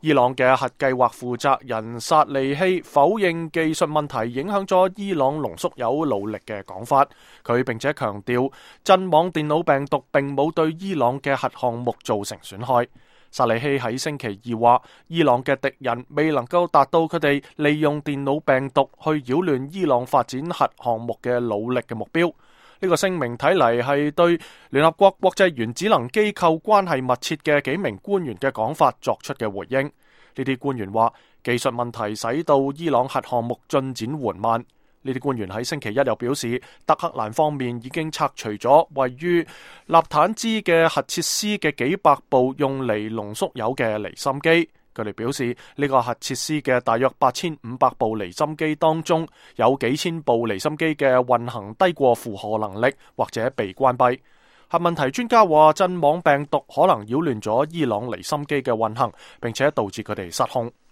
伊朗嘅核計劃負責人薩利希否認技術問題影響咗伊朗濃縮鈾努力嘅講法，佢並且強調陣亡電腦病毒並冇對伊朗嘅核項目造成損害。薩利希喺星期二話，伊朗嘅敵人未能夠達到佢哋利用電腦病毒去擾亂伊朗發展核項目嘅努力嘅目標。呢個聲明睇嚟係對聯合國國際原子能機構關係密切嘅幾名官員嘅講法作出嘅回應。呢啲官員話，技術問題使到伊朗核項目進展緩慢。呢啲官員喺星期一又表示，德黑蘭方面已經拆除咗位於納坦茲嘅核設施嘅幾百部用嚟濃縮鈾嘅離心機。佢哋表示，呢個核設施嘅大約8500部離心機當中，有幾千部離心機嘅運行低過負荷能力，或者被關閉。核問題專家話，陣亡病毒可能擾亂咗伊朗離心機嘅運行，並且導致佢哋失控。